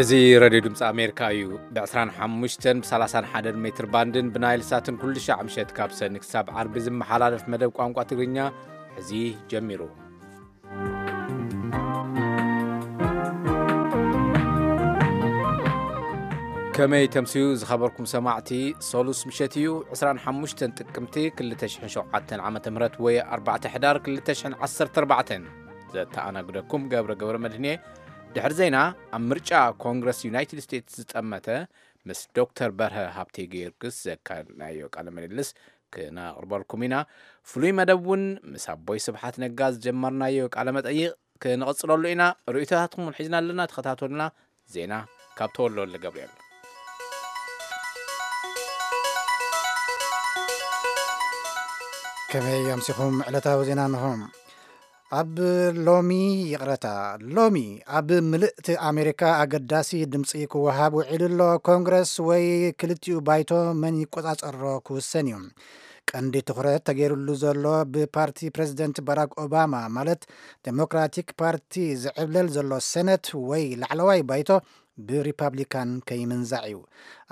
እዚ ሬድዮ ድምፂ ኣሜሪካ እዩ። ብ ዕስራን ሓሙሽተን፣ ብ ሰላሳን ሓደን ሜትር ባንድን ብናይል ሳትን ኩሉ ሻዕ ምሸት ካብ ሰኒ ክሳብ ዓርቢ ዝመሓላለፍ መደብ ቋንቋ ትግርኛ ሕዚ ጀሚሩ። ከመይ ተምስዩ ዝኸበርኩም ሰማዕቲ፣ ሰሉስ ምሸት እዩ፣ ዕስራን ሓሙሽተን ጥቅምቲ ክልተ ሽሕን ሸውዓተን ዓመተ ምህረት ወይ ኣርባዕተ ሕዳር ክልተ ሽሕን ዓሰርተ ኣርባዕተን። ዘተኣናግደኩም ገብረ ገብረ መድህን እየ። ድሕሪ ዜና፣ ኣብ ምርጫ ኮንግረስ ዩናይትድ ስቴትስ ዝጠመተ ምስ ዶክተር በርሀ ሃብተ ጊዮርጊስ ዘካየድናዮ ቃለ ምልልስ ክነቕርበልኩም ኢና። ፍሉይ መደብ እውን ምስ ኣቦይ ስብሓት ነጋ ዝጀመርናዮ ቃለ መጠይቕ ክንቕጽለሉ ኢና። ርእይቶታትኩም እውን ሒዝና ኣለና፣ ተኸታተሉና። ዜና ካብ ተወልደ ወልደ ገብርኤል። ከመይ ኣምሲኹም? ዕለታዊ ዜና እንሆ። ኣብ ሎሚ፣ ይቕረታ፣ ሎሚ ኣብ ምልእቲ ኣሜሪካ ኣገዳሲ ድምፂ ክወሃብ ውዒሉ ኣሎ። ኮንግረስ ወይ ክልቲኡ ባይቶ መን ይቆጻጸሮ ክውሰን እዩ። ቀንዲ ትኹረት ተገይሩሉ ዘሎ ብፓርቲ ፕሬዚደንት ባራክ ኦባማ፣ ማለት ዴሞክራቲክ ፓርቲ፣ ዝዕብለል ዘሎ ሴነት ወይ ላዕለዋይ ባይቶ ብሪፓብሊካን ከይምንዛዕ እዩ።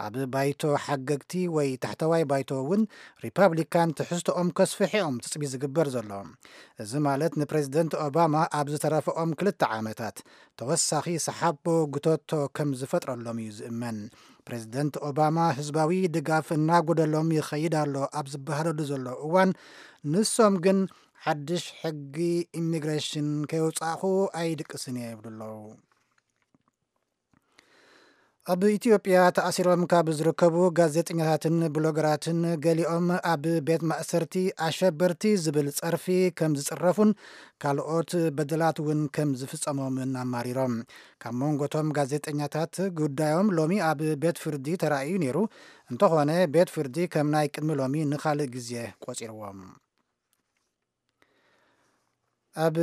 ኣብ ባይቶ ሓገግቲ ወይ ታሕተዋይ ባይቶ እውን ሪፓብሊካን ትሕዝቶኦም ከስፍሑ እዮም ትጽቢት ዝግበር ዘሎ። እዚ ማለት ንፕሬዚደንት ኦባማ ኣብ ዝተረፈኦም ክልተ ዓመታት ተወሳኺ ሰሓቦ ጉተቶ ከም ዝፈጥረሎም እዩ ዝእመን። ፕሬዚደንት ኦባማ ህዝባዊ ድጋፍ እናጎደሎም ይኸይድ ኣሎ ኣብ ዝበሃለሉ ዘሎ እዋን፣ ንሶም ግን ሓድሽ ሕጊ ኢሚግሬሽን ከየውጻእኹ ኣይድቅስን እየ ይብሉ ኣለዉ። ኣብ ኢትዮጵያ ተኣሲሮም ካብ ዝርከቡ ጋዜጠኛታትን ብሎገራትን ገሊኦም ኣብ ቤት ማእሰርቲ ኣሸበርቲ ዝብል ጸርፊ ከም ዝጽረፉን ካልኦት በደላት እውን ከም ዝፍጸሞምን ኣማሪሮም። ካብ መንጎቶም ጋዜጠኛታት ጉዳዮም ሎሚ ኣብ ቤት ፍርዲ ተራእዩ ነይሩ። እንተኾነ ቤት ፍርዲ ከም ናይ ቅድሚ ሎሚ ንኻልእ ግዜ ቆጺርዎም። ኣብ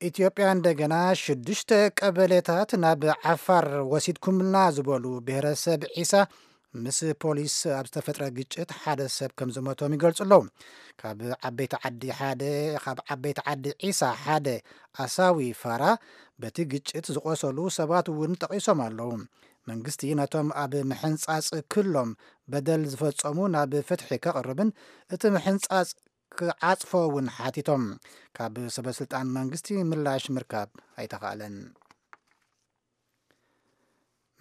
ኢትዮጵያ እንደገና ሽዱሽተ ቀበሌታት ናብ ዓፋር ወሲድኩምልና ዝበሉ ብሔረሰብ ዒሳ ምስ ፖሊስ ኣብ ዝተፈጥረ ግጭት ሓደ ሰብ ከም ዝሞቶም ይገልጹ ኣለዉ። ካብ ዓበይቲ ዓዲ ሓደ፣ ካብ ዓበይቲ ዓዲ ዒሳ ሓደ ኣሳዊ ፋራ በቲ ግጭት ዝቆሰሉ ሰባት እውን ጠቒሶም ኣለዉ። መንግስቲ ነቶም ኣብ ምሕንጻጽ ክሎም በደል ዝፈጸሙ ናብ ፍትሒ ከቕርብን እቲ ምሕንጻጽ ክዓጽፎ እውን ሓቲቶም። ካብ ሰበስልጣን መንግስቲ ምላሽ ምርካብ ኣይተኻእለን።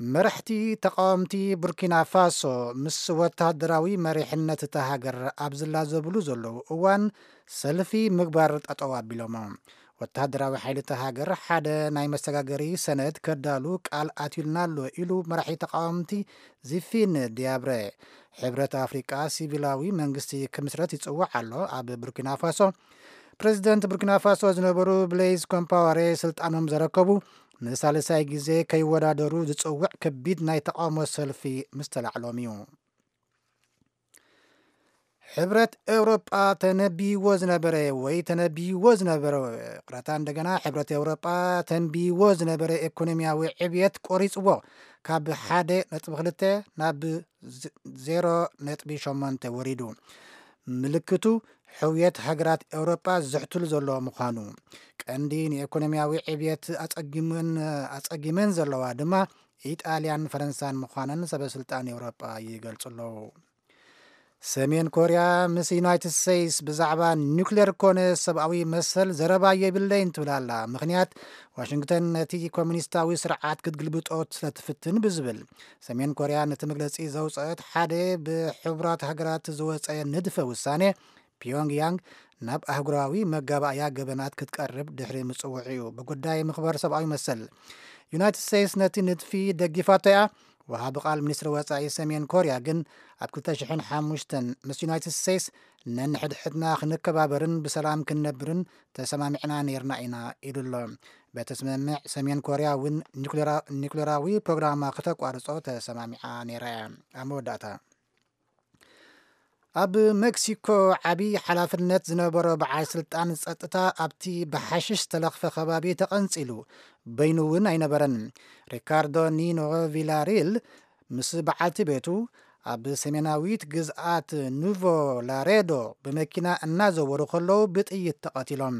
መራሕቲ ተቃወምቲ ቡርኪና ፋሶ ምስ ወታደራዊ መሪሕነት እታ ሃገር ኣብ ዝላዘብሉ ዘለዉ እዋን ሰልፊ ምግባር ጠጠው ኣቢሎሞ። ወታደራዊ ሓይሊ እታ ሃገር ሓደ ናይ መሰጋገሪ ሰነድ ከዳሉ ቃል ኣትዩልና ኣሎ ኢሉ መራሒ ተቃወምቲ ዚፊን ዲያብረ። ሕብረት ኣፍሪቃ ሲቪላዊ መንግስቲ ክምስረት ይጽውዕ ኣሎ። ኣብ ቡርኪና ፋሶ ፕሬዚደንት ቡርኪና ፋሶ ዝነበሩ ብሌዝ ኮምፓወሬ ስልጣኖም ዘረከቡ ንሳልሳይ ግዜ ከይወዳደሩ ዝጽውዕ ከቢድ ናይ ተቃውሞ ሰልፊ ምስተላዕሎም እዩ። ሕብረት ኤውሮጳ ተነቢይዎ ዝነበረ ወይ ተነቢይዎ ዝነበረ፣ ቅረታ እንደገና፣ ሕብረት ኤውሮጳ ተንቢይዎ ዝነበረ ኢኮኖሚያዊ ዕብየት ቆሪጽዎ፣ ካብ ሓደ ነጥቢ ክልተ ናብ ዝ-፣ ዜሮ ነጥቢ ሸሞንተ ወሪዱ። ምልክቱ ሕውየት ሃገራት ኤውሮጳ ዝሕትሉ ዘሎ ምዃኑ። ቀንዲ ንኢኮኖሚያዊ ዕብየት ኣጸጊመን፣ ኣጸጊመን ዘለዋ ድማ ኢጣልያን ፈረንሳን ምዃነን ሰበ ስልጣን ኤውሮጳ ይገልጹ ኣለዉ። ሰሜን ኮርያ ምስ ዩናይትድ ስቴትስ ብዛዕባ ኒውክሌር ኮነ ሰብኣዊ መሰል ዘረባ የብለይን ትብል ኣላ። ምኽንያት፣ ዋሽንግተን ነቲ ኮሙኒስታዊ ስርዓት ክትግልብጦ ስለ ትፍትን ብዝብል። ሰሜን ኮርያ ነቲ መግለጺ ዘውጸአት ሓደ ብሕቡራት ሃገራት ዝወጸ ንድፈ ውሳኔ ፒዮንግ ያንግ ናብ ኣህጉራዊ መጋባእያ ገበናት ክትቀርብ ድሕሪ ምጽውዑ እዩ። ብጉዳይ ምኽባር ሰብኣዊ መሰል ዩናይትድ ስቴትስ ነቲ ንድፊ ደጊፋቶ እያ። ወሃቢ ቃል ሚኒስትሪ ወጻኢ ሰሜን ኮርያ ግን ኣብ ክልተ ሽሕን ሓሙሽተን ምስ ዩናይትድ ስቴትስ ነንሕድሕድና ክንከባበርን ብሰላም ክንነብርን ተሰማሚዕና ነይርና ኢና ኢሉ ኣሎ። በቲ ስምምዕ ሰሜን ኮርያ እውን ኒኩሌራ-፣ ኒኩሌራዊ ፕሮግራማ ክተቋርጾ ተሰማሚዓ ነይራ እያ። ኣብ መወዳእታ ኣብ ሜክሲኮ ዓቢ ሓላፍነት ዝነበሮ በዓል ስልጣን ጸጥታ ኣብቲ ብሓሽሽ ዝተለኽፈ ከባቢ ተቐንጺሉ፣ በይኑ እውን ኣይነበረን። ሪካርዶ ኒኖ ቪላሪል ምስ በዓልቲ ቤቱ ኣብ ሰሜናዊት ግዝኣት ኑቮ ላሬዶ ብመኪና እናዘወሩ ከለዉ ብጥይት ተቐቲሎም።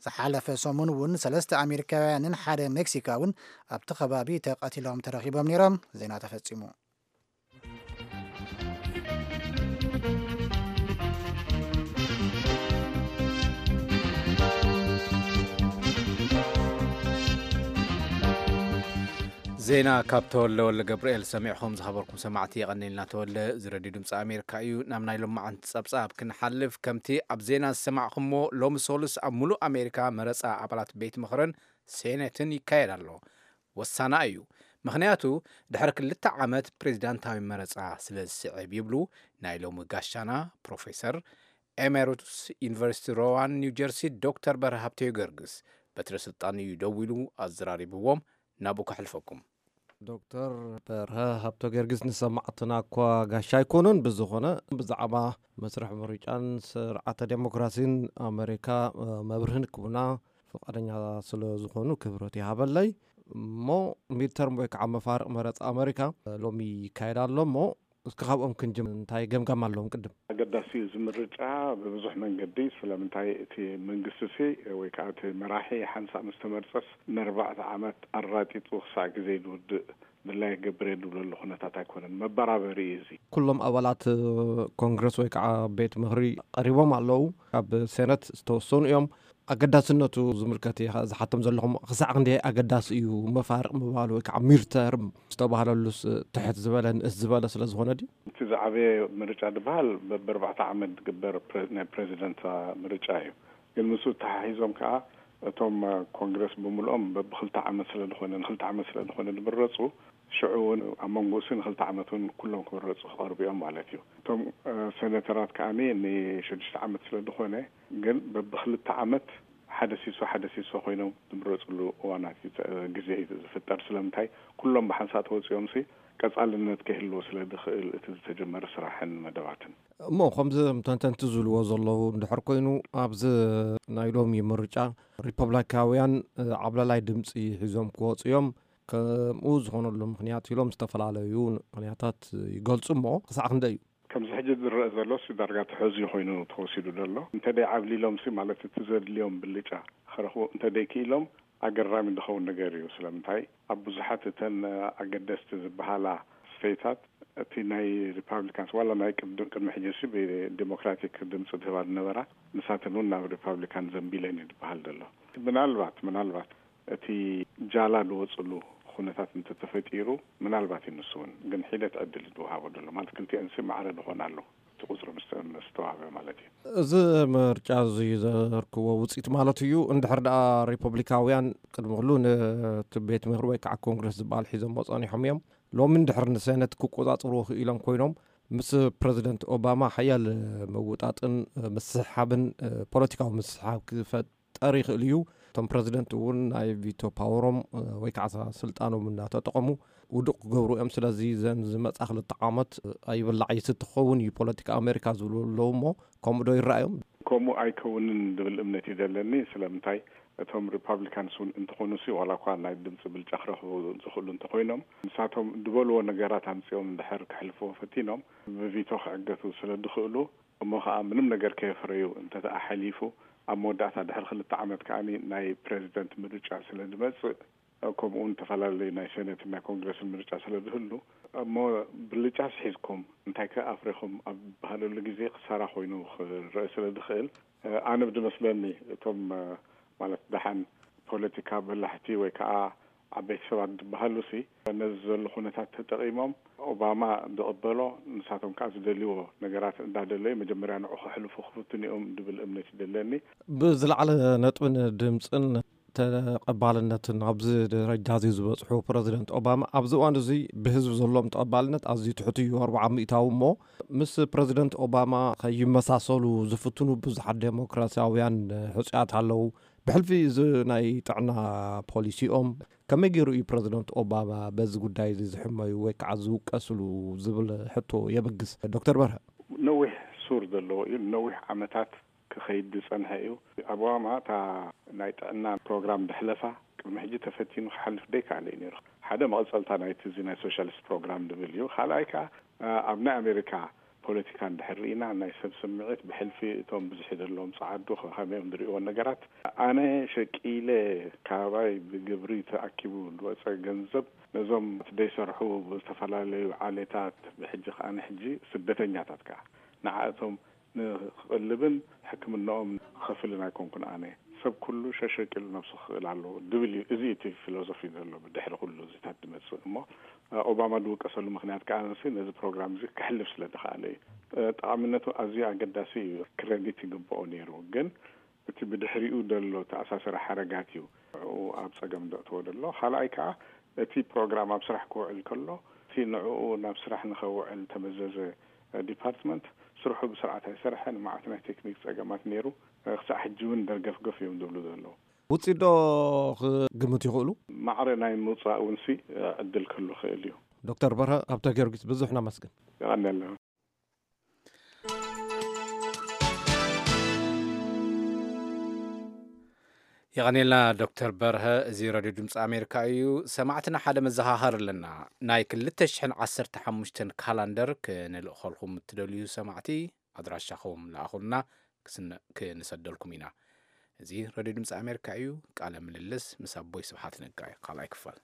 ዝሓለፈ ሰሙን እውን ሰለስተ ኣሜሪካውያንን ሓደ ሜክሲካውን ኣብቲ ከባቢ ተቐቲሎም ተረኺቦም ነይሮም። ዜና ተፈጺሙ። ዜና ካብ ተወለ ወለ ገብርኤል ሰሚዕኹም ዝኸበርኩም ሰማዕቲ የቐንየልና። ተወለ እዚ ረድዮ ድምፂ ኣሜሪካ እዩ። ናብ ናይ ሎማዓንቲ ፀብፃብ ክንሓልፍ፣ ከምቲ ኣብ ዜና ዝሰማዕኹምዎ፣ ሎሚ ሶሉስ ኣብ ሙሉእ ኣሜሪካ መረፃ ኣባላት ቤት ምኽርን ሴኔትን ይካየድ ኣሎ። ወሳና እዩ። ምኽንያቱ ድሕሪ ክልተ ዓመት ፕሬዚዳንታዊ መረፃ ስለ ዝስዕብ ይብሉ ናይ ሎሚ ጋሻና ፕሮፌሰር ኤሜሪቱስ ዩኒቨርሲቲ ሮዋን ኒው ጀርሲ ዶክተር በርሀ ሃብተ ጊዮርጊስ። በትረ ስልጣን እዩ ደዊሉ ኣዘራሪብዎም። ናብኡ ከሕልፈኩም። ዶክተር በርሀ ሃብተ ጊዮርጊስ ንሰማዕትና እኳ ጋሻ ኣይኮኑን። ብዝኾነ ብዛዕባ መስርሕ ምርጫን ስርዓተ ዴሞክራሲን ኣሜሪካ መብርህን ክቡና ፍቓደኛ ስለ ዝኾኑ ክብረት ይሃበለይ። እሞ ሚድተርም ወይ ከዓ መፋርቕ መረፃ ኣሜሪካ ሎሚ ይካየድ ኣሎ። እሞ እስኪ ካብኦም ክንጅም እንታይ ገምጋም ኣለዎም? ቅድም ኣገዳሲ እዩ እዚ ምርጫ ብብዙሕ መንገዲ። ስለምንታይ እቲ መንግስቲ ሲ ወይ ከዓ እቲ መራሒ ሓንሳእ ምስ ተመርፀስ ንኣርባዕተ ዓመት ኣራጢጡ ክሳዕ ግዜ ዝውድእ ድላይ ገብር እየ ዝብለሉ ኩነታት ኣይኮነን። መበራበሪ እዩ እዚ። ኩሎም ኣባላት ኮንግረስ ወይ ከዓ ቤት ምኽሪ ቀሪቦም ኣለዉ። ካብ ሴነት ዝተወሰኑ እዮም። ኣገዳስነቱ ዝምልከት እየ ዝሓቶም ዘለኹም። ክሳዕ ክንደይ ኣገዳሲ እዩ መፋርቕ ምባል ወይ ከዓ ሚድተርም ዝተባህለሉስ ትሕት ዝበለ ንእስ ዝበለ ስለ ዝኾነ ድዩ? እቲ ዝዓበየ ምርጫ ዝበሃል በብኣርባዕተ ዓመት ዝግበር ፕረ- ናይ ፕሬዚደንት ምርጫ እዩ። ግን ምስኡ ተሓሒዞም ከዓ እቶም ኮንግረስ ብምልኦም በብክልተ ዓመት ስለ ዝኾነ ንክልተ ዓመት ስለ ዝኾነ ዝምረፁ ሽዑ እውን ኣብ መንጎ እሱ ንክልተ ዓመት እውን ኩሎም ክምረፁ ክቐርቡ እዮም ማለት እዩ። እቶም ሴኔተራት ከዓ ንሽዱሽተ ዓመት ስለ ዝኾነ ግን በብክልተ ዓመት ሓደ ሲሶ ሓደ ሲሶ ኮይኖም ዝምረፅሉ እዋናት እዩ፣ ግዜ እዩ ዝፍጠር። ስለምንታይ ኩሎም ብሓንሳእ ተወፂኦም ሲ ቀፃልነት ክህልዎ ስለ ዝኽእል እቲ ዝተጀመረ ስራሕን መደባትን። እሞ ከምዚ ተንተንቲ ዝብልዎ ዘለዉ እንድሕር ኮይኑ ኣብዚ ናይ ሎሚ ምርጫ ሪፐብሊካውያን ዓብላላይ ድምፂ ሒዞም ክወፁ እዮም። ከምኡ ዝኾነሉ ምኽንያት ኢሎም ዝተፈላለዩ ምኽንያታት ይገልፁ። እሞ ክሳዕ ክንደይ እዩ? ከምዚ ሕጂ ዝረአ ዘሎ ሲ ዳርጋ ተሐዝዩ ኮይኑ ተወሲዱ ዘሎ። እንተ ደይ ዓብሊሎም ሲ ማለት እቲ ዘድልዮም ብልጫ ክረኽቡ እንተ ደይ ክኢሎም ኣገራሚ ዝኸውን ነገር እዩ። ስለምንታይ ኣብ ብዙሓት እተን ኣገደስቲ ዝበሃላ ስቴታት እቲ ናይ ሪፓብሊካንስ ዋላ ናይ ቅድም ቅድሚ ሕጂ ሲ ብዲሞክራቲክ ድምፂ ዝህባ ዝነበራ ንሳተን እውን ናብ ሪፓብሊካን ዘንቢለን እዩ ዝበሃል ዘሎ። ምናልባት ምናልባት እቲ ጃላ ዝወፅሉ ኩነታት እንተተፈጢሩ ምናልባት እዩ ንሱ እውን ግን ሒደት ዕድል ዝወሃቦ ዘሎ ማለት ክልቲአን ሲ ማዕረ ዝኾና ኣለዉ። እቲ ቁፅሪ ምስ ምስ ተዋህበ ማለት እዩ። እዚ ምርጫ እዚ ዘርክዎ ውፅኢት ማለት እዩ። እንድሕር ደኣ ሪፐብሊካውያን ቅድሚ ኩሉ ነቲ ቤት ምኽሪ ወይ ከዓ ኮንግረስ ዝበሃል ሒዞሞ ፀኒሖም እዮም። ሎሚ እንድሕር ንሴነት ክቆፃፅርዎ ክኢሎም ኮይኖም ምስ ፕረዚደንት ኦባማ ሓያል ምውጣጥን ምስሕሓብን ፖለቲካዊ ምስሕሓብ ክፈጠር ይኽእል እዩ። እቶም ፕረዚደንት እውን ናይ ቪቶ ፓወሮም ወይ ከዓ ስልጣኖም እናተጠቐሙ ውዱቕ ክገብሩ እዮም። ስለዚ ዘን ዝመፃ ክልተ ዓመት ኣይብላዕ ይስቲ ክኸውን እዩ ፖለቲካ ኣሜሪካ ዝብሉ ኣለዉ። እሞ ከምኡ ዶ ይረኣዮም? ከምኡ ኣይከውንን ዝብል እምነት እዩ ዘለኒ። ስለምንታይ እቶም ሪፓብሊካንስ እውን እንተኾኑ ሲ ዋላ እኳ ናይ ድምፂ ብልጫ ክረኽቡ ዝኽእሉ እንተኾይኖም ንሳቶም ዝበልዎ ነገራት ኣምፂኦም እንድሕር ክሕልፍዎ ፈቲኖም ብቪቶ ክዕገቱ ስለ ዝኽእሉ እሞ ከዓ ምንም ነገር ከየፍረዩ እንተተኣ ሓሊፉ ኣብ መወዳእታ ድሕሪ ክልተ ዓመት ከዓ ናይ ፕሬዚደንት ምርጫ ስለ ዝመፅእ ከምኡ እውን ዝተፈላለዩ ናይ ሴነትን ናይ ኮንግረስን ምርጫ ስለ ዝህሉ እሞ ብልጫስ ሒዝኩም እንታይ ከ ኣፍሪኹም ኣብ ዝበሃለሉ ግዜ ክሳራ ኮይኑ ክረአ ስለ ዝኽእል ኣነ ብዝመስለኒ እቶም ማለት ደሓን ፖለቲካ በላሕቲ ወይ ከዓ ዓበይቲ ሰባት ዝበሃሉ ሲ ነዚ ዘሎ ኩነታት ተጠቒሞም ኦባማ ዝቕበሎ ንሳቶም ከዓ ዝደልይዎ ነገራት እንዳደለዩ መጀመርያ ንዑ ከሕልፉ ክፍትኑ እዮም ዝብል እምነት እዩ ዘለኒ። ብዝለዓለ ነጥብን ድምፅን ተቐባልነትን ኣብዚ ደረጃ እዚ ዝበፅሑ ፕረዚደንት ኦባማ ኣብዚ እዋን እዚ ብህዝቢ ዘለዎም ተቐባልነት ኣዝዩ ትሑት እዩ፣ ኣርብዓ ሚእታዊ። እሞ ምስ ፕረዚደንት ኦባማ ከይመሳሰሉ ዝፍትኑ ብዙሓት ዴሞክራሲያውያን ሕፁያት ኣለዉ። ብሕልፊ እዚ ናይ ጥዕና ፖሊሲኦም ከመይ ገይሩ እዩ ፕረዚደንት ኦባማ በዚ ጉዳይ እዚ ዝሕመዩ ወይ ከዓ ዝውቀስሉ ዝብል ሕቶ የበግስ። ዶክተር በርሀ። ነዊሕ ሱር ዘለዎ እዩ። ነዊሕ ዓመታት ክኸይድ ዝፀንሐ እዩ። ኦባማ እታ ናይ ጥዕና ፕሮግራም ድሕለፋ ቅድሚ ሕጂ ተፈቲኑ ክሓልፍ ደይከኣለ እዩ ነይሩ። ሓደ መቐፀልታ ናይቲ እዚ ናይ ሶሻሊስት ፕሮግራም ዝብል እዩ። ካልኣይ ከዓ ኣብ ናይ ኣሜሪካ ፖለቲካ እንድሕር ርኢና፣ ናይ ሰብ ስምዒት ብሕልፊ እቶም ብዝሒ ዘለዎም ጸዓዱ ከ-፣ ከመይ እዮም ዝርእይዎ ነገራት? ኣነ ሸቂለ ካባይ ብግብሪ ተኣኪቡ ዝወጸ ገንዘብ ነዞም ዘይሰርሑ ብዝተፈላለዩ ዓሌታት፣ ብሕጂ ከኣ ንሕጂ ስደተኛታት ከኣ ንዓእቶም ንክቕልብን ሕክምናኦም ክኸፍልን ኣይኮንኩን ኣነ። ሰብ ኩሉ ሸሸቂሉ ነብሱ ክኽእል ኣለዎ ድብል እዩ። እዚ እቲ ፊሎዞፊ ዘሎ ብድሕሪ ኩሉ እዚታት ዝመጽእ እሞ፣ ኦባማ ዝውቀሰሉ ምኽንያት ከኣ ንሲ ነዚ ፕሮግራም እዚ ክሕልፍ ስለ ዝኸኣለ እዩ። ጠቓሚነቱ ኣዝዩ ኣገዳሲ እዩ፣ ክረዲት ይግብኦ ነይሩ። ግን እቲ ብድሕሪኡ ዘሎ ተኣሳሰሪ ሓረጋት እዩ ንዕኡ ኣብ ጸገም ዘእትዎ ዘሎ። ካልኣይ ከኣ እቲ ፕሮግራም ኣብ ስራሕ ክውዕል ከሎ፣ እቲ ንዕኡ ናብ ስራሕ ንኸውዕል ተመዘዘ ዲፓርትመንት ስርሑ ብስርዓት ኣይሰርሐን። መዓት ናይ ቴክኒክ ጸገማት ነይሩ። ክሳዕ ሕጂ እውን ደርገፍገፍ እዮም ዝብሉ ዘለዉ። ውፅኢት ዶ ክግምቱ ይኽእሉ? ማዕረ ናይ ምውፃእ እውን ሲ ዕድል ክህሉ ይኽእል እዩ። ዶክተር በርሀ ሃብተ ጊዮርጊስ፣ ብዙሕ ነመስግን። የቐንየልና። የቐኔልና ዶክተር በርሀ። እዚ ረድዮ ድምፂ ኣሜሪካ እዩ። ሰማዕትና ሓደ መዘኻኸር ኣለና። ናይ ክልተ ሽሕን ዓሰርተ ሓሙሽተን ካላንደር ክንልእኸልኩም እትደልዩ ሰማዕቲ ኣድራሻኹም ለኣኹልና፣ ክስነ-፣ ክንሰደልኩም ኢና። እዚ ረድዮ ድምፂ ኣሜሪካ እዩ። ቃለ ምልልስ ምስ ኣቦይ ስብሓት ነጋ እዩ፣ ካልኣይ ክፋል።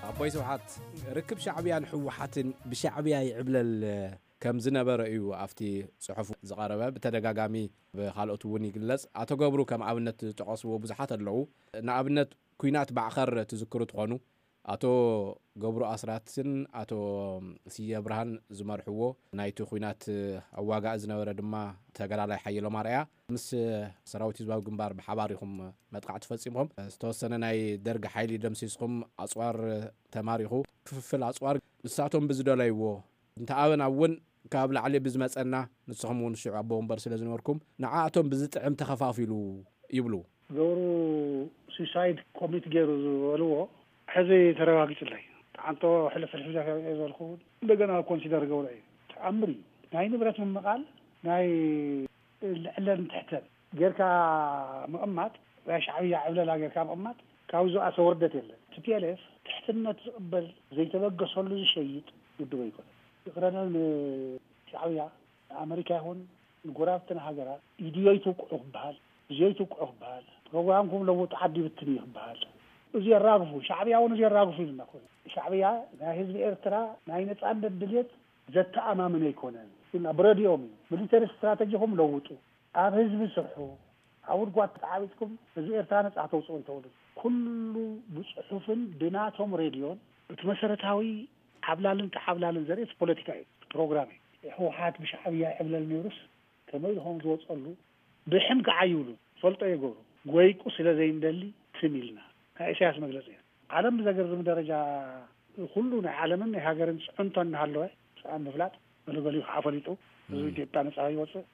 ኣቦይ ስብሓት፣ ርክብ ሻዕብያን ህወሓትን ብሻዕብያ ይዕብለል ከም ዝነበረ እዩ ኣብቲ ጽሑፍ ዝቐረበ። ብተደጋጋሚ ብኻልኦት እውን ይግለጽ። ኣቶ ገብሩ ከም ኣብነት ዝጠቐስዎ ብዙሓት ኣለዉ። ንኣብነት፣ ኲናት ባዕኸር ትዝክሩ ትኾኑ፣ ኣቶ ገብሩ ኣስራትን ኣቶ ስየ ብርሃን ዝመርሕዎ ናይቲ ኲናት ኣዋጋኢ ዝነበረ ድማ ተጋዳላይ ሓየሎም ኣርኣያ ምስ ሰራዊት ህዝባዊ ግንባር ብሓባር ኢኹም መጥቃዕቲ ፈጺምኩም። ዝተወሰነ ናይ ደርጊ ሓይሊ ደምሲስኩም፣ ኣጽዋር ተማሪኹ። ክፍፍል ኣጽዋር ንሳቶም ብዝደለይዎ እንተ ኣበና እውን ካብ ላዕሊ ብዝመጸና፣ ንስኹም እውን ሽዑ ኣቦ ወንበር ስለ ዝነበርኩም፣ ንዓኣቶም ብዝጥዕም ተኸፋፊሉ ይብሉ። ገብሩ ሱሳይድ ኮሚት ገይሩ ዝበልዎ ሕዚ ተረጋጊጹለይ። ተዓንቶ ሕልፍ ሕልፍ ኢለ ከርእዮ ዝበልኩ እውን እንደገና ኮንሲደር ገብሮ እዩ። ተኣምር እዩ። ናይ ንብረት ምምቓል፣ ናይ ልዕለን ትሕተን ጌርካ ምቕማጥ፣ ናይ ሻዕብያ ዕብለላ ጌርካ ምቕማጥ፣ ካብኡ ዝኣሰ ውርደት የለን። ቲ ፒ ኤል ኤፍ ትሕትነት ዝቕበል፣ ዘይተበገሰሉ ዝሸይጥ ውድብ ኣይኮነን። ይቕረና ንሻዕብያ፣ ንኣመሪካ ይኹን ንጎረባብትና ሃገራት፣ ኢድዮ ይትውቅዑ ክበሃል፣ እዝዮ ይትውቅዑ ክበሃል፣ ፕሮግራምኩም ለውጡ ዓዲ ብትን እዩ ክበሃል። እዚ የራግፉ፣ ሻዕብያ እውን እዚ የራግፉ ኢልና ኮይኑ። ሻዕብያ ናይ ህዝቢ ኤርትራ ናይ ነጻነት ድልየት ዘተኣማምን ኣይኮነን። ብረድኦም እዩ። ሚሊተሪ ስትራተጂኹም ለውጡ። ኣብ ህዝቢ ስርሑ። ኣብ ጉድጓድ ተዓቢጥኩም ህዝቢ ኤርትራ ነጻ ተውጽኡ እንተውሉ። ኩሉ ብጽሑፍን ብናቶም ሬድዮን እቲ መሰረታዊ ዓብላልን ተዓብላልን ዘርኢ እቲ ፖለቲካ እዩ፣ ፕሮግራም እዩ። ህወሓት ብሻዕብያ ይዕብለል ነይሩስ ከመይ ኢሉ ከም ዝወጸሉ ብሕም ከዓ ይብሉ። ፈልጦ የገብሩ። ጎይቁ ስለ ዘይንደሊ ትም ኢልና። ናይ ኢሳያስ መግለጺ እዩ። ዓለም ብዘገርም ደረጃ ኩሉ ናይ ዓለምን ናይ ሃገርን ጽዕንቶ እናሃለወ፣ ሰኣን ምፍላጥ፣ ገለገሊኡ ከዓ ፈሊጡ፣ ህዝቢ ኢትዮጵያ ነጻ ይወፅእ።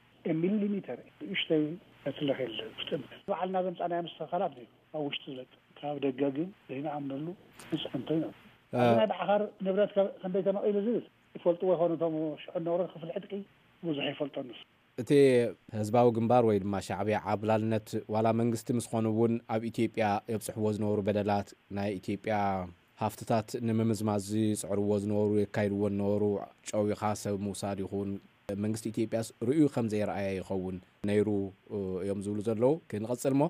ሚሊሊሜተር ንእሽተይ ፈትለኽ የለ ውስጥ ምድር። ባዕልና ዘምፃናዮ ምስተኻላት እዩ ኣብ ውሽጢ ዝለቅ። ካብ ደገ ግን ዘይንኣምነሉ ንፅዕንቶ እዩ። ኣብዚ ናይ ብዓኻር ንብረት ከ-፣ ክንደይ ተመቒሉ ዝብል ይፈልጥዎ ይኾኑ። እቶም ሽዑ ነበሩ ክፍሊ ዕጥቂ ብዙሕ ይፈልጦ ንሱ። እቲ ህዝባዊ ግንባር ወይ ድማ ሻዕብያ ዓብላልነት ዋላ መንግስቲ ምስ ኾኑ እውን ኣብ ኢትዮጵያ የብፅሕዎ ዝነበሩ በደላት፣ ናይ ኢትዮጵያ ሃፍትታት ንምምዝማዝ ዝፅዕርዎ ዝነበሩ፣ የካይድዎ ዝነበሩ፣ ጨዊኻ ሰብ ምውሳድ ይኹን መንግስቲ ኢትዮጵያስ ርእዩ ከም ዘይረኣየ ይኸውን ነይሩ እዮም ዝብሉ ዘለዉ። ክንቐፅል እሞ፣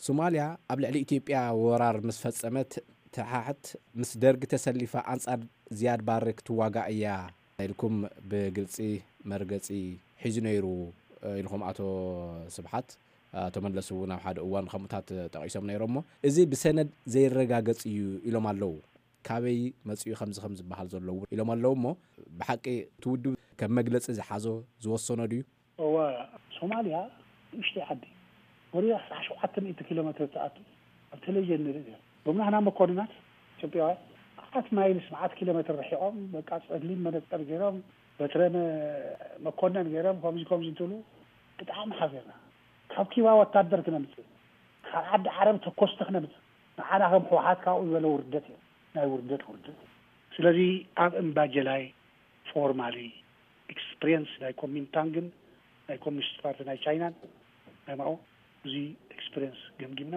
ሶማልያ ኣብ ልዕሊ ኢትዮጵያ ወራር ምስ ፈጸመት፣ ተሓሕት ምስ ደርጊ ተሰሊፋ ኣንጻር ዝያድ ባሬ ክትዋጋእ እያ ኢልኩም ብግልጺ መርገጺ ሒዙ ነይሩ ኢልኩም ኣቶ ስብሓት፣ ኣቶ መለስ እውን ኣብ ሓደ እዋን ከምኡታት ጠቒሶም ነይሮም። እሞ እዚ ብሰነድ ዘይረጋገጽ እዩ ኢሎም ኣለዉ። ካበይ መጺኡ ከምዚ ከም ዝበሃል ዘለዉ ኢሎም ኣለዉ። እሞ ብሓቂ እቲ ውድብ ከም መግለጺ ዝሓዞ ዝወሰኖ ድዩ? እወ፣ ሶማልያ ንእሽተይ ዓዲ፣ ወዲያ ኣስራ ሸውዓተ ሚእቲ ኪሎ ሜትር ትኣቱ፣ ኣብ ቴሌቪዥን ንርኢ ነይሩ። ሎም ናህና መኮንናት ኢትዮጵያውያን፣ መዓት ማይልስ፣ መዓት ኪሎ ሜትር ርሒቖም፣ በቃ ጸሊም መነጸር ገይሮም፣ በትረ መ-፣ መኮነን ገይሮም፣ ከምዚ ከምዚ እንትብሉ ብጣዕሚ ሓዚርና። ካብ ኪባ ወታደር ክነምጽእ፣ ካብ ዓዲ ዓረብ ተኮስቲ ክነምጽእ፣ ንዓና ከም ህወሓት ካብኡ ዝበለ ውርደት እዩ። ናይ ውርደት ውርደት። ስለዚ ኣብ እምባጀላይ ፎርማሊ ኤክስፕሪየንስ ናይ ኮሚንታንግን ናይ ኮሚኒስት ፓርቲ ናይ ቻይናን ናይ ማኦ እዚ ኤክስፒሪየንስ ገምጊምና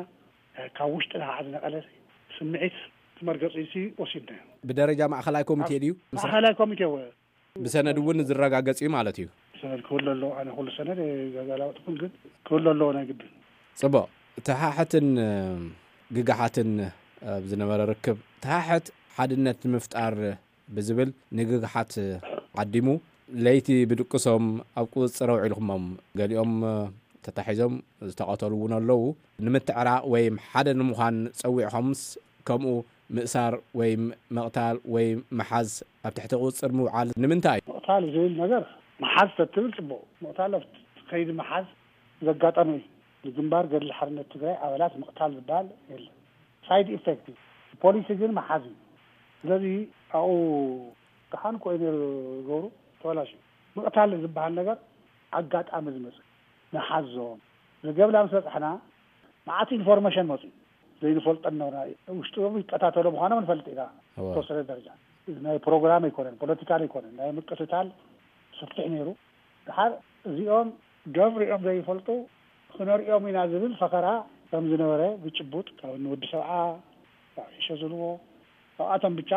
ካብ ውሽጢ ንዓ ዝነቐለ ስምዒት መርገፂ ወሲድና። ብደረጃ ማእኸላይ ኮሚቴ ድዩ? ማእኸላይ ኮሚቴ ወ ብሰነድ እውን ዝረጋገጽ እዩ ማለት እዩ። ሰነድ ክህሉ ኣለዎ። ኣነ ኩሉ ሰነድ ገዛላወጥኩም፣ ግን ክህሉ ኣለዎ ናይ ግድን። ጽቡቕ። ተሓሕትን ግግሓትን ኣብ ዝነበረ ርክብ፣ ተሓሕት ሓድነት ንምፍጣር ብዝብል ንግግሓት ዓዲሙ፣ ለይቲ ብድቅሶም ኣብ ቁጽጽር ኣውዒልኩሞም። ገሊኦም ተታሒዞም ዝተቐተሉ እውን ኣለዉ። ንምትዕራቕ ወይ ሓደ ንምዃን ጸዊዕኹምስ ከምኡ ምእሳር ወይ ምቕታል ወይ ምሓዝ ኣብ ትሕቲ ቁጽጽር ምውዓል ንምንታይ? ምቕታል ዝብል ነገር ምሓዝ ተትብል ጽቡቕ። ምቕታል ኣብቲ ከይዲ ምሓዝ ዘጋጠመ እዩ። ንግንባር ገድሊ ሓርነት ትግራይ ኣባላት ምቕታል ዝበሃል የለን። ሳይድ ኢፌክት እዩ። ፖሊሲ ግን ምሓዝ እዩ። ስለዚ ኣብኡ ደሓን እኮ እዩ ነይሩ ገብሩ፣ ተበላሽዩ። ምቕታል ዝበሃል ነገር ኣጋጣሚ ዝመጽእ ንሓዞም። ዘገብላ ምስ በጻሕና መዓት ኢንፎርሜሽን መጽኡ። ዘይንፈልጦ ነበርና። ውሽጦም ይቀታተሉ ምዃኖም ንፈልጥ ኢና። እወ። ተወሰነ ደረጃ ናይ ፕሮግራም ኣይኮነን፣ ፖለቲካል ኣይኮነን፣ ናይ ምቅትታል ሰፊሕ ነይሩ። ድሓር እዚኦም ገብር እዮም ዘይፈልጡ፣ ክነርእዮም ኢና ዝብል ፈኸራ ከም ዝነበረ ብጭቡጥ ካብ ንወዲ ሰብዓ፣ ካብ ዒሸ ዝብልዎ፣ ካብኣቶም ብቻ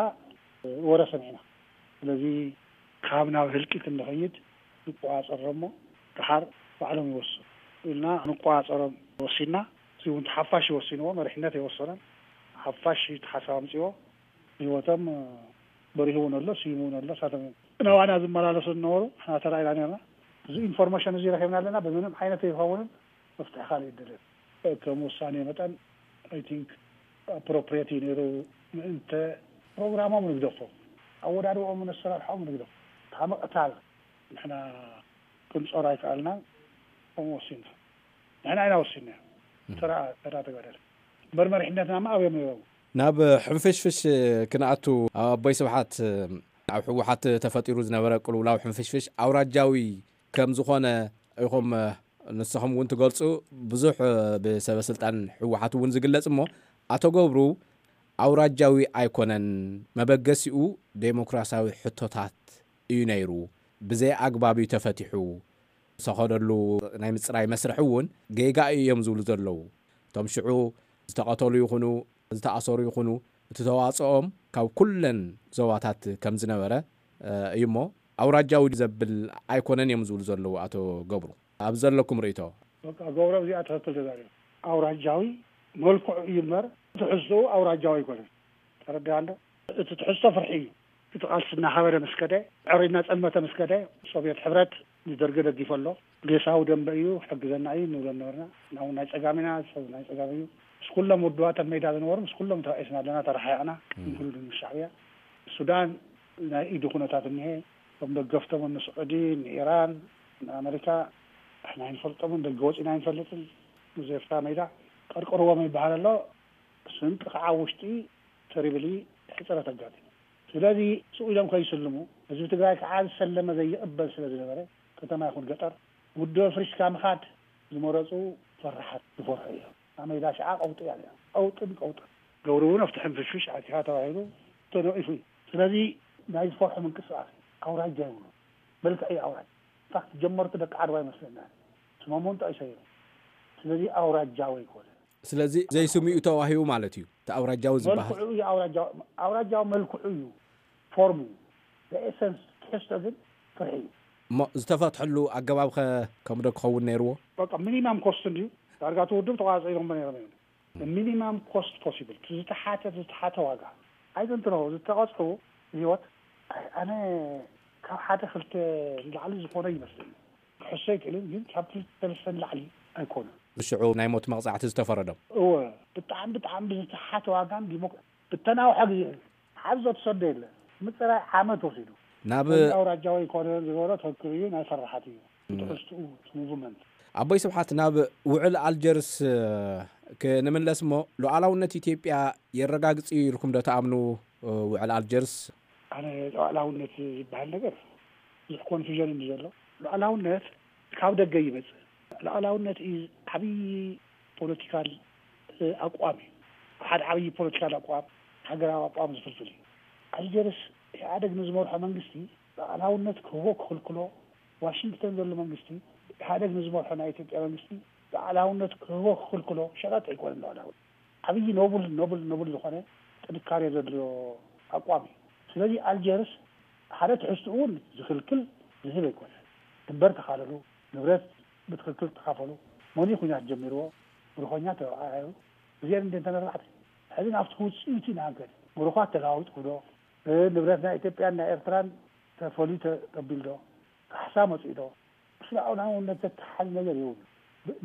ወረ ሰሚዕና። ስለዚ ካብ ናብ ህልቂት እንኸይድ ንቆጻጸሮም እሞ ድሓር ባዕሎም ይወስኑ ኢልና ንቆጻጸሮም ወሲድና። እዚ እውን ሓፋሽ ይወስንዎ፣ መሪሕነት ኣይወሰነን። ሓፋሽ እቲ ሓሳብ ኣምፅዎ፣ ህይወቶም በሪሁ እውን ኣሎ፣ ስይሙ እውን ኣሎ። ንሳቶም እዮም ናባና ዝመላለሱ ዝነበሩ፣ ንሕና ተራኢና ነርና። እዚ ኢንፎርሜሽን እዚ ረኺብና ኣለና፣ ብምንም ዓይነት ኣይኸውንን፣ መፍትሒ ካልእ ይደልየን። ከም ውሳኔ መጠን፣ ኣይ ቲንክ፣ ኣፕሮፕሪየት እዩ ነይሩ። ምእንተ ፕሮግራሞም ንግደፎም፣ ኣወዳድቦም፣ ኣሰራርሖም ንግደፎም። ካብ ምቕታል ንሕና ክንጾር ኣይከኣልናን። ከምኡ ወሲንና፣ ንሕና ኢና ወሲንና። ተራ ተራ ተጋደለ እምበር መሪሕነትና ማ ኣብዮም ነይሮም። ናብ ሕንፍሽፍሽ ክንኣቱ፣ ኣቦይ ስብሓት፣ ኣብ ህወሓት ተፈጢሩ ዝነበረ ቅልውላው ሕንፍሽፍሽ ኣውራጃዊ ከም ዝኾነ ኢኹም ንስኹም እውን ትገልጹ። ብዙሕ ብሰበ ስልጣን ህወሓት እውን ዝግለጽ እሞ፣ ኣቶ ገብሩ፣ ኣውራጃዊ ኣይኮነን፣ መበገሲኡ ዴሞክራሲያዊ ሕቶታት እዩ ነይሩ፣ ብዘይ ኣግባብ እዩ ተፈቲሑ። ዝኸደሉ ናይ ምጽራይ መስርሕ እውን ጌጋ እዮም ዝብሉ ዘለዉ። እቶም ሽዑ ዝተቐተሉ ይኹኑ ዝተኣሰሩ ይኹኑ፣ እቲ ተዋጽኦም ካብ ኩለን ዞባታት ከም ዝነበረ እዩ እሞ፣ ኣውራጃዊ ዘብል ኣይኮነን እዮም ዝብሉ ዘለዉ ኣቶ ገብሩ። ኣብ ዘለኩም ርእይቶ? በቃ ገብሮም እዚኣ ትኽክል ተዛሪቡ። ኣውራጃዊ መልክዑ እዩ እምበር ትሕዝትኡ ኣውራጃዊ ኣይኮነን። ተረዲኣ እንዶ? እቲ ትሕዝቶ ፍርሒ እዩ። እቲ ቃልሲ እናኸበደ ምስ ከደ፣ ዕሪ እናጸልመተ ምስ ከደ፣ ሶቭየት ሕብረት ንደርጊ ደጊፉ ኣሎ። ዴሳዊ ደንበ እዩ፣ ሕግዘና እዩ ንብሎ ነበርና። ንሕና እውን ናይ ጸጋም ኢና፣ ሰብ ናይ ጸጋም እዩ። ምስ ኩሎም ውድባት ኣብ ሜዳ ዝነበሩ፣ ምስ ኩሎም ተባኢስና ኣለና፣ ተረሓሒቕና፣ እም። ንኩሉ ምስ ሻዕብያ። ሱዳን ናይ ኢዱ ኩነታት እኒሄ፣ እቶም ደገፍቶም ንስዑዲ፣ ንኢራን፣ ንኣመሪካ፣ ንሕና ኣይንፈልጦምን፣ ደገ ወጺና ኣይንፈልጥን። ምስ ኤርትራ ሜዳ ቀርቅርዎም ይበሃል ኣሎ። ስንቂ ከዓ ውሽጢ ተሪብሊ ሕፅረት ኣጋጢሙ። ስለዚ ስቕ ኢሎም ከይስልሙ፣ ህዝቢ ትግራይ ከዓ ዝሰለመ ዘይቕበል ስለ ዝነበረ፣ ከተማ ይኹን ገጠር፣ ውድብ ኣፍሪስካ ምኻድ ዝመረፁ ፈራሓት ዝፈርሑ እዮም። ኣብ ሜዳ ሽዓ ቀውጢ እያ ነይራ። ቀውጥን ቀውጥን። ገብሩ እውን ኣብቲ ሕንፍሽፍሽ ኣቲኻ ተባሂሉ ተነቒፉ እዩ። ስለዚ ናይ ዝፈርሑ ምንቅስቃስ እዩ። ኣውራጃ ይብሉ። መልክዕ እዩ ኣውራጃ። ኢንፋክት ጀመርቱ ደቂ ዓድዋ ይመስለና። ስሞም እውን ጠቒሰ እዮም። ስለዚ ኣውራጃዊ ኣይኮነ። ስለዚ ዘይስሚኡ ተዋሂቡ ማለት እዩ፣ እቲ ኣውራጃዊ ዝበሃል። መልክዑ እዩ ኣውራጃዊ፣ ኣውራጃዊ መልክዑ እዩ፣ ፎርሙ እዩ። ኤሰንስ ትሕዝቶ ግን ፍርሒ እዩ። እሞ ዝተፈትሐሉ ኣገባብ ኸ ከምዶ ክኸውን ነይርዎ? በቃ ሚኒማም ኮስት እንድዩ፣ ዳርጋ እቲ ውድብ ተቋፂሮሞ ነይሮም እዮም። ሚኒማም ኮስት ፖሲብል፣ እቲ ዝተሓተ፣ ዝተሓተ ዋጋ። ኣይዘንትኖ ዝተቐፅዑ ህይወት፣ ኣይ፣ ኣነ ካብ ሓደ ክልተ ንላዕሊ ዝኾነ ይመስለኒ። ክሕሶ ኣይክእልን፣ ግን ካብ ክልተ ሰለስተ ንላዕሊ ኣይኮነን። ብሽዑ ናይ ሞት መቕጻዕቲ ዝተፈረዶም። እወ፣ ብጣዕሚ፣ ብጣዕሚ ብዝተሓተ ዋጋን ዲሞክ-፣ ብተናውሐ ግዜ እዩ። ሓዞ ተሰዶ የለ። ምጽራይ ዓመት ወሲዱ። ናብ እዚ ኣውራጃዊ ኣይኮነን ዝበሎ ትኽክል እዩ፣ ናይ ፈራሓት እዩ። እም። ትሕዝትኡ፣ እቲ ሙቭመንት። ኣቦይ ስብሓት፣ ናብ ውዕል ኣልጀርስ፣ እ፣ ክንምለስ እሞ፣ ሉዓላውነት ኢትዮጵያ የረጋግጽ እዩ ኢልኩም ዶ ትኣምኑ፣ እ፣ ውዕል ኣልጀርስ? ኣነ ሉዓላውነት ዝበሃል ነገር ብዙሕ ኮንፊዥን እዩ ዘሎ። ሉዓላውነት ካብ ደገ ይመጽእ። ሉዓላውነት እዩ ዓብዪ ፖለቲካል፣ እ፣ ኣቋም እዩ። ሓደ ዓብዪ ፖለቲካል ኣቋም፣ ሃገራዊ ኣቋም ዝፍልፍል እዩ። ኣልጀርስ ኢህኣደግ ንዝመርሖ መንግስቲ ሉዓላውነት ክህቦ ክኽልክሎ፣ ዋሽንግተን ዘሎ መንግስቲ ኢህኣደግ ንዝመርሖ ናይ ኢትዮጵያ መንግስቲ ሉዓላውነት ክህቦ ክኽልክሎ ሸቐጥ ኣይኮነን። ሉዓላዊ ዓብዪ ኖብል ኖብል ኖብል ዝኾነ ጥንካሬ ዘድልዮ ኣቋም እዩ። ስለዚ ኣልጀርስ ሓደ ትሕዝትኡ እውን ዝኽልክል ዝህብ ኣይኮነን። ድንበር ተኻለሉ፣ ንብረት ብትኽክል ተኻፈሉ፣ መን እዩ ኲናት ጀሚርዎ፣ ብርኾኛ ተረዓዩ፣ እዚአን እንደ እንተነርባዕተ ሕዚ ናብቲ ውፅኢቱ ኢና ንከድ። ምሩኻት ተለዋዊጥኩ ዶ? ንብረት ናይ ኢትዮጵያን ናይ ኤርትራን ተፈልዩ ተቀቢል ዶ? ካሕሳ መፅኡ ዶ? ምስ ሉዓላውነት ዘተሓዝ ነገር የብሉ።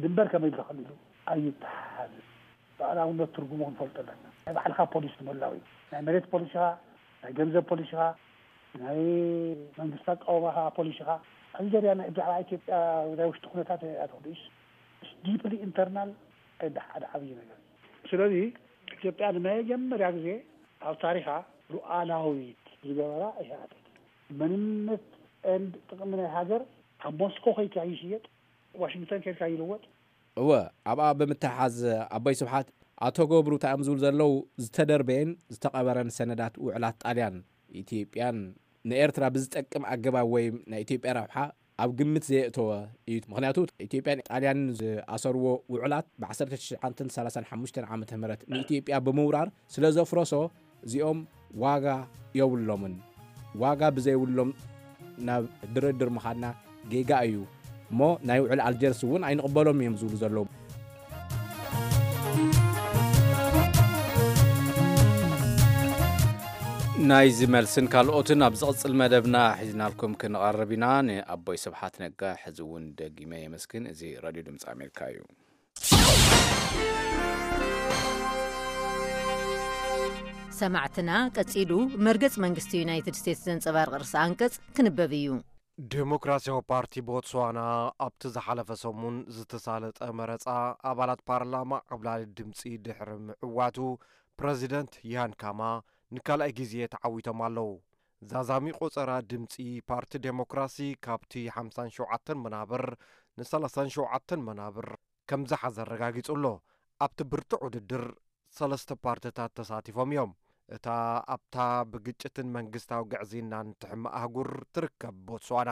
ድንበር ከመይ ተኸሊሉ ኣይተሓሓዝን። ሉዓላውነት ትርጉሙ ክንፈልጦ ኣለና። ናይ ባዕልኻ ፖሊሲ ምህላው እዩ። ናይ መሬት ፖሊሲኻ፣ ናይ ገንዘብ ፖሊሲኻ፣ ናይ መንግስቲ ኣቃውማኻ ፖሊሲኻ። ኣልጀርያ ናይ ብዛዕባ ኢትዮጵያ ናይ ውሽጢ ኩነታት ኣትክዱስ ዲፕሊ ኢንተርናል ሓደ ዓብዪ ነገር። ስለዚ ኢትዮጵያ ንመጀመርያ ግዜ ኣብ ታሪኻ ሉዓላዊት ዝገበራ ኢህኣዴግ። መንነት ኤንድ ጥቕሚ ናይ ሃገር ኣብ ሞስኮ ከይካ ይሽየጥ፣ ዋሽንግተን ከይካ ይልወጥ። እወ፣ ኣብኣ ብምትሓዝ ኣቦይ ስብሓት ኣቶ ገብሩ እንታይ እዮም ዝብሉ ዘለዉ? ዝተደርበየን ዝተቐበረን ሰነዳት ውዕላት ጣልያን ኢትዮጵያን ንኤርትራ ብዝጠቅም ኣገባብ ወይ ናይ ኢትዮጵያ ረብሓ ኣብ ግምት ዘየእተወ እዩ። ምኽንያቱ ኢትዮጵያን ጣልያንን ዝኣሰርዎ ውዕላት ብ1935 ዓመተ ምህረት ንኢትዮጵያ ብምውራር ስለ ዘፍረሶ እዚኦም ዋጋ የብሎምን። ዋጋ ብዘይብሎም ናብ ድርድር ምኻድና ጌጋ እዩ እሞ ናይ ውዕል ኣልጀርስ እውን ኣይንቕበሎም እዮም ዝብሉ ዘለዉ። ናይዚ መልስን ካልኦትን ኣብ ዝቕጽል መደብና ሒዝናልኩም ክንቐርብ ኢና። ንኣቦይ ስብሓት ነጋ ሕዚ እውን ደጊመ የመስግን። እዚ ሬድዮ ድምፂ ኣሜሪካ እዩ። ሰማዕትና፣ ቀጺሉ መርገጽ መንግስቲ ዩናይትድ ስቴትስ ዘንጸባርቕ ርእሰ ኣንቀጽ ክንበብ እዩ። ዴሞክራሲያዊ ፓርቲ ቦትስዋና ኣብቲ ዝሓለፈ ሰሙን ዝተሳለጠ መረጻ ኣባላት ፓርላማ ዓብላሊ ድምጺ ድሕሪ ምዕዋቱ፣ ፕረዚደንት ያን ካማ ንካልኣይ ግዜ ተዓዊቶም ኣለዉ። ዛዛሚ ቆጸራ ድምጺ ፓርቲ ዴሞክራሲ ካብቲ ሓምሳን ሸውዓተን መናብር ን ሰላሳን ሸውዓተን መናብር ከም ዝሓዘ ኣረጋጊጹ ኣሎ። ኣብቲ ብርቱዕ ውድድር ሰለስተ ፓርትታት ተሳቲፎም እዮም። እታ ኣብታ ብግጭትን መንግስታዊ ግዕዝይናን ትሕመ ኣህጉር ትርከብ ቦትስዋና፣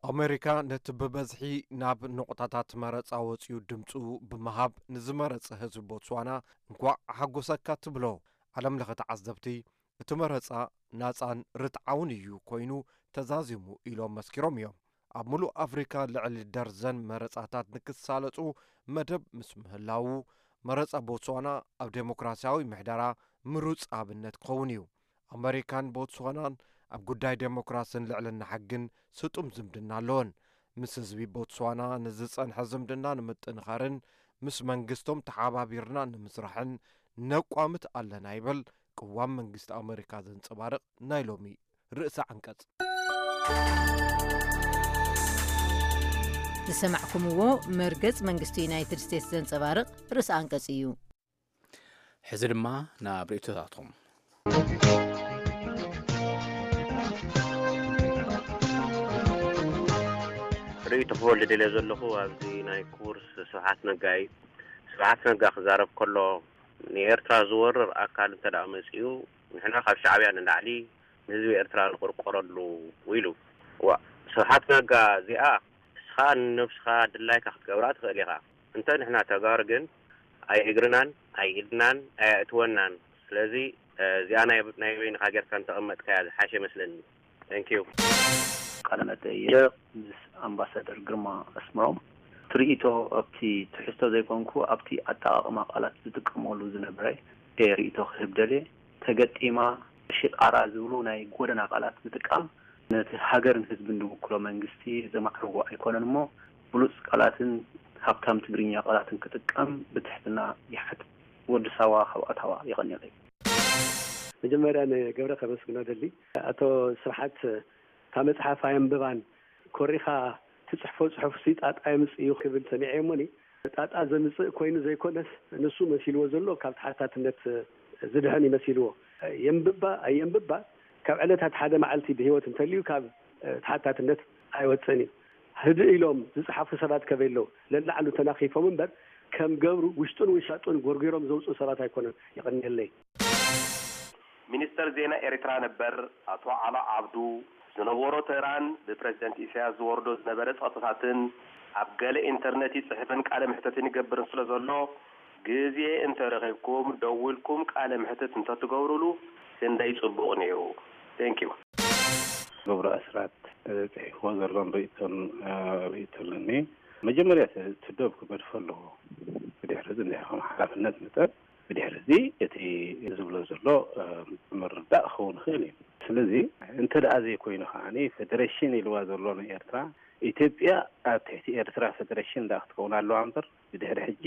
ኣሜሪካ ነቲ ብበዝሒ ናብ ነቑጣታት መረጻ ወጺኡ ድምጹ ብምሃብ ንዝመረጸ ህዝቢ ቦትስዋና እንኳዕ ሓጎሰካ ትብሎ። ዓለም ለኸ ተዓዘብቲ እቲ መረጻ ናጻን ርትዓውን እዩ ኮይኑ ተዛዚሙ ኢሎም መስኪሮም እዮም። ኣብ ምሉእ ኣፍሪካ ልዕሊ ደርዘን መረጻታት ንክሳለጡ መደብ ምስ ምህላዉ፣ መረጻ ቦትስዋና ኣብ ዴሞክራሲያዊ ምሕደራ ምሩጽ ኣብነት ክኸውን እዩ። ኣመሪካን ቦትስዋናን ኣብ ጉዳይ ዴሞክራስን ልዕልና ሕግን ስጡም ዝምድና ኣለወን። ምስ ህዝቢ ቦትስዋና ንዝጸንሐ ዝምድና ንምጥንኻርን ምስ መንግስቶም ተሓባቢርና ንምስራሕን ነቋምት ኣለና ይብል ቅዋም መንግስቲ ኣመሪካ ዘንጸባርቕ ናይ ሎሚ ርእሰ ዓንቀጽ። ዝሰማዕኩምዎ መርገጽ መንግስቲ ዩናይትድ ስቴትስ ዘንጸባርቕ ርእሰ ኣንቀጽ እዩ። ሕዚ ድማ ናብ ርእይቶታቶም። ርእይቶ ክህበሉ ደልየ ዘለኹ ኣብዚ ናይ ክቡር ስብሓት ነጋ እዩ። ስብሓት ነጋ ክዛረብ ከሎ ንኤርትራ ዝወርር ኣካል እንተ ደኣ መጺኡ ንሕና ካብ ሻዕብያ ንላዕሊ ንህዝቢ ኤርትራ ንቕርቆረሉ ኢሉ። ዋ ስብሓት ነጋ እዚኣ ንስኻ ንነብስኻ ድላይካ ክትገብራ ትኽእል ኢኻ። እንተ ንሕና ተጋሩ ግን ኣይ እግርናን ኣይ ኢድናን ኣየእትወናን። ስለዚ እዚኣ ናይ ናይ በይንኻ ጌርካ እንተቐመጥካያ ዝሓሸ ይመስለኒ። Thank you። ቃለ መጠይቕ ምስ ኣምባሳደር ግርማ ኣስመሮም ትርኢቶ ኣብቲ ትሕዝቶ ዘይኮንኩ ኣብቲ ኣጠቓቕማ ቃላት ዝጥቀመሉ ዝነበረ እየ ርኢቶ ክህብ ደልየ። ተገጢማ፣ ሽጣራ ዝብሉ ናይ ጎደና ቃላት ምጥቃም ነቲ ሃገርን ህዝብን ዝውክሎ መንግስቲ ዘማዕርጎ ኣይኮነን እሞ ብሉጽ ቃላትን ሃብታም ትግርኛ ቃላትን ክጥቀም ብትሕትና ይሓትት። ወዲ ሳዋ ካብ ኣታዋ። የቐንየለይ። መጀመርያ ንገብረ ከመስግኖ ደሊ። ኣቶ ስብሓት እታ መፅሓፍ ኣየንብባን ኮሪኻ ትፅሕፎ ፅሑፍሲ ጣጣ የምፅእ እዩ ክብል ሰሚዐ እሞኒ ጣጣ ዘምፅእ ኮይኑ ዘይኮነስ ንሱ መሲልዎ ዘሎ ካብ ተሓታትነት ዝድሕን እዩ መሲልዎ። የንብባ ኣየንብባ ካብ ዕለታት ሓደ መዓልቲ ብህይወት እንተልዩ ካብ ተሓታትነት ኣይወፅእን እዩ። ህድእ ኢሎም ዝፅሓፉ ሰባት ከበይ ኣለዉ? ለላዕሉ ተናኺፎም እምበር ከም ገብሩ ውሽጡን ውሻጡን ጎርጒሮም ዘውፅኡ ሰባት ኣይኮነን። የቐንየለይ። ሚኒስተር ዜና ኤርትራ ነበር ኣቶ ዓሎ ዓብዱ፣ ዝነበሮ ተራን ብፕረዚደንት ኢሳያስ ዝወርዶ ዝነበረ ጸቕጥታትን ኣብ ገለ ኢንተርነት ይጽሕፍን ቃለ መሕተትን ይገብርን ስለ ዘሎ፣ ግዜ እንተረኺብኩም ደዊልኩም ቃለ መሕተት እንተትገብሩሉ ክንደይ ጽቡቕ ነይሩ። Thank you። ገብሩ ኣስራት፣ እ፣ ጽሒፍዎ ዘሎን ርእይቶን፣ እ፣ ርእይቶ ኣለኒ። መጀመርያ እቲ እቲ ዶብ ክገድፎ ኣለዎ። ብድሕሪ እዚ እንድሕር ከም ሓላፍነት መጠን፣ ብድሕሪ እዚ እቲ ዝብሎ ዘሎ፣ እ፣ ምርዳእ ክኸውን ይኽእል እዩ። ስለዚ እንተ ደኣ ዘይኮይኑ ከዓኒ፣ ፌደሬሽን ኢልዋ ዘሎ ንኤርትራ፣ ኢትዮጵያ ኣብ ትሕቲ ኤርትራ ፌደሬሽን ደኣ ክትከውን ኣለዋ እምበር፣ ብድሕሪ ሕጂ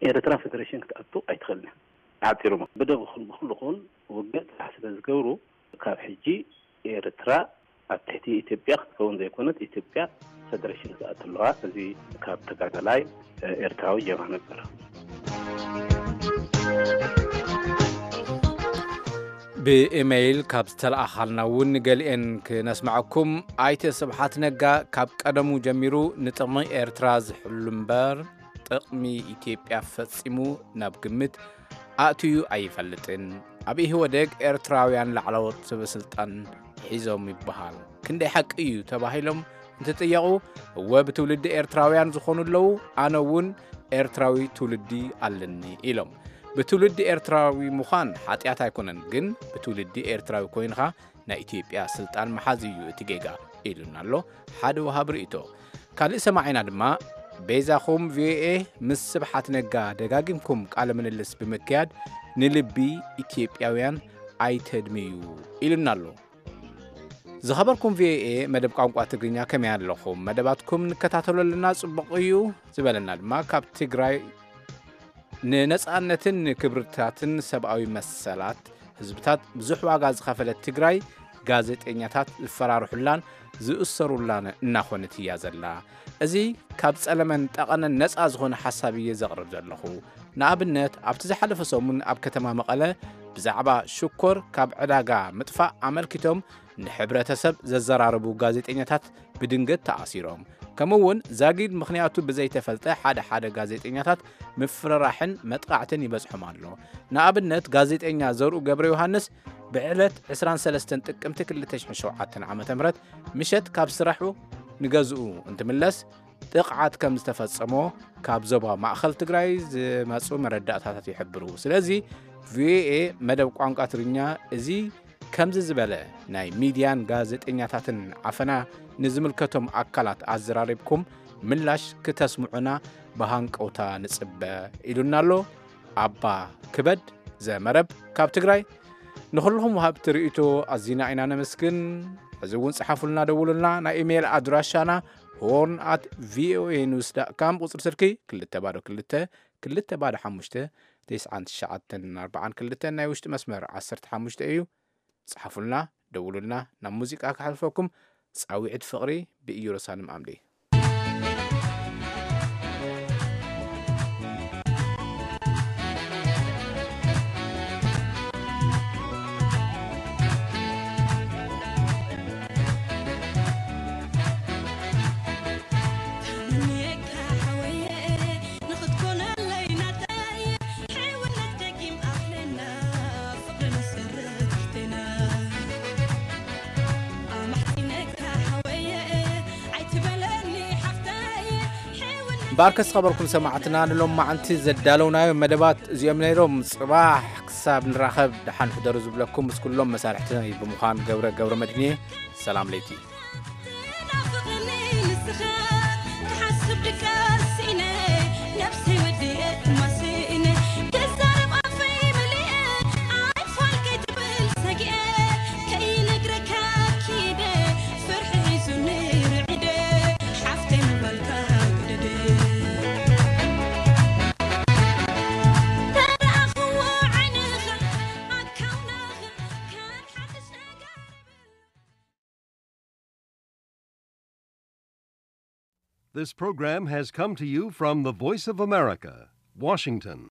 ኤርትራ ፌደሬሽን ክትኣቱ ኣይትኽእልን እያ። ብሓጺሩ፣ ብደብ ይኹን ብኹሉ ይኹን ውግእ ጥራሕ ስለ ዝገብሩ፣ ካብ ሕጂ ኤርትራ ኣብ ትሕቲ ኢትዮጵያ ክትከውን ዘይኮነት፣ ኢትዮጵያ ፌደሬሽን ክትኣቱ ኣለዋ። እዚ ካብ ተጋዳላይ ኤርትራዊ ጀብሃ ነበር። ብኢመይል ካብ ዝተለኣኻልና እውን ገሊኤን ክነስምዐኩም። ኣይተ ስብሓት ነጋ ካብ ቀደሙ ጀሚሩ ንጥቕሚ ኤርትራ ዝሕሉ እምበር፣ ጥቕሚ ኢትዮጵያ ፈጺሙ ናብ ግምት ኣእትዩ ኣይፈልጥን። ኣብ ኢህወደግ ኤርትራውያን ላዕለዎት ሰበስልጣን ሒዞም ይበሃል። ክንደይ ሓቂ እዩ ተባሂሎም እንትጥየቑ፣ እወ፣ ብትውልዲ ኤርትራውያን ዝኾኑ ኣለዉ፣ ኣነ እውን ኤርትራዊ ትውልዲ ኣለኒ ኢሎም። ብትውልዲ ኤርትራዊ ምዃን ሓጢኣት ኣይኮነን፣ ግን ብትውልዲ ኤርትራዊ ኮይንኻ ናይ ኢትዮጵያ ስልጣን ምሓዝ እዩ እቲ ጌጋ ኢሉና ኣሎ ሓደ ወሃቢ ርእይቶ። ካልእ ሰማዒና ድማ፣ በይዛኹም ቪኦኤ ምስ ስብሓት ነጋ ደጋጊምኩም ቃለ ምልልስ ብምክያድ ንልቢ ኢትዮጵያውያን ኣይተድምዩ ኢሉና ኣሎ። ዝኸበርኩም ቪኦኤ መደብ ቋንቋ ትግርኛ፣ ከመይ ኣለኹም? መደባትኩም ንከታተሎ ኣለና፣ ጽቡቕ እዩ ዝበለና ድማ ካብ ትግራይ ንነጻነትን ንክብርታትን ሰብኣዊ መሰላት ህዝብታት ብዙሕ ዋጋ ዝኸፈለት ትግራይ፣ ጋዜጠኛታት ዝፈራርሑላን ዝእሰሩላን እናኾነት እያ ዘላ። እዚ ካብ ጸለመን ጠቐነን ነጻ ዝኾነ ሓሳብ እየ ዘቕርብ ዘለኹ። ንኣብነት፣ ኣብቲ ዝሓለፈ ሰሙን ኣብ ከተማ መቐለ ብዛዕባ ሽኮር ካብ ዕዳጋ ምጥፋእ ኣመልኪቶም ንሕብረተሰብ ዘዘራረቡ ጋዜጠኛታት ብድንገት ተኣሲሮም። ከምኡ እውን ዛጊድ ምኽንያቱ ብዘይተፈልጠ ሓደ ሓደ ጋዜጠኛታት ምፍርራሕን መጥቃዕትን ይበጽሖም ኣሎ። ንኣብነት፣ ጋዜጠኛ ዘርኡ ገብረ ዮሃንስ ብዕለት ዕስራን ሰለስተን ጥቅምቲ ክልተ ሽሕን ሸውዓተን ዓመተ ምህረት ምሸት ካብ ስራሑ ንገዝኡ እንትምለስ ጥቕዓት ከም ዝተፈጸሞ ካብ ዞባ ማእኸል ትግራይ ዝመጹ መረዳእታታት ይሕብሩ። ስለዚ ቪኦኤ መደብ ቋንቋ ትግርኛ እዚ ከምዚ ዝበለ ናይ ሚድያን ጋዜጠኛታትን ዓፈና ንዝምልከቶም ኣካላት ኣዘራሪብኩም ምላሽ ክተስምዑና ብሃንቀውታ ንጽበ ኢሉና ኣሎ ኣባ ክበድ ዘመረብ ካብ ትግራይ። ንኹልኹም ወሃብቲ ርእይቶ ኣዚና ኢና ነመስግን። ሕዚ እውን ጸሓፉልና፣ ደውሉልና። ናይ ኢሜይል ኣድራሻና ሆርን ኣት ቪኦኤ ኒውስ ዳት ካም፣ ቁጽሪ ስልኪ ክልተ ባዶ ክልተ፣ ክልተ ባዶ ሓሙሽተ፣ ተስዓን ትሽዓተን ኣርባዓን ክልተን፣ ናይ ውሽጢ መስመር ዓሰርተ ሓሙሽተ እዩ። ጸሓፉልና፣ ደውሉልና። ናብ ሙዚቃ ከሕልፈኩም፣ ጻውዒት ፍቕሪ ብኢየሩሳሌም ኣምዴ። እምበኣርከስ ዝኸበርኩም ሰማዕትና፣ ንሎማዓንቲ ዘዳለውናዮ መደባት እዚኦም ነይሮም። ጽባሕ ክሳብ ንራኸብ ደሓን ሕደሩ ዝብለኩም ምስ ኩሎም መሳርሕቲ ብምዃን ገብረ ገብረ መድህን እየ። ሰላም ለይቲ። This program has come to you from the Voice of America, Washington.